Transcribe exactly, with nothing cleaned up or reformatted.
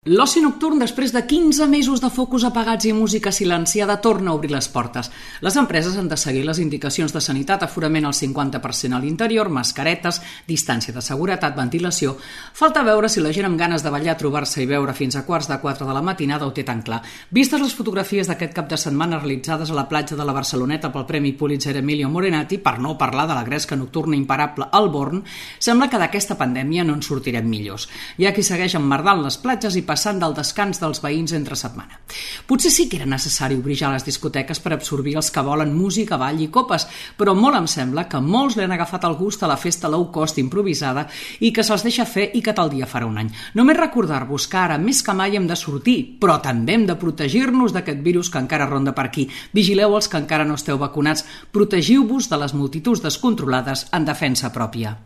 L'oci nocturn, després de quinze mesos de focus apagats i música silenciada, torna a obrir les portes. Les empreses han de seguir les indicacions de sanitat, aforament al cinquanta per cent a l'interior, mascaretes, distància de seguretat, ventilació. Falta veure si la gent amb ganes de ballar, trobar-se i beure fins a quarts de quatre de la matinada ho té tan clar. Vistes les fotografies d'aquest cap de setmana realitzades a la platja de la Barceloneta pel Premi Pulitzer Emilio Morenati, per no parlar de la gresca nocturna imparable al Born, sembla que d'aquesta pandèmia no en sortirem millors. Hi ha qui segueix emmerdant les platges i passant del descans dels veïns entre setmana. Potser sí que era necessari obrir ja les discoteques per absorbir els que volen música, ball i copes, però molt em sembla que molts li han agafat el gust a la festa low cost improvisada i que se'ls deixa fer i que tal dia farà un any. Només recordar-vos que ara més que mai hem de sortir, però també hem de protegir-nos d'aquest virus que encara ronda per aquí. Vigileu els que encara no esteu vacunats. Protegiu-vos de les multituds descontrolades en defensa pròpia.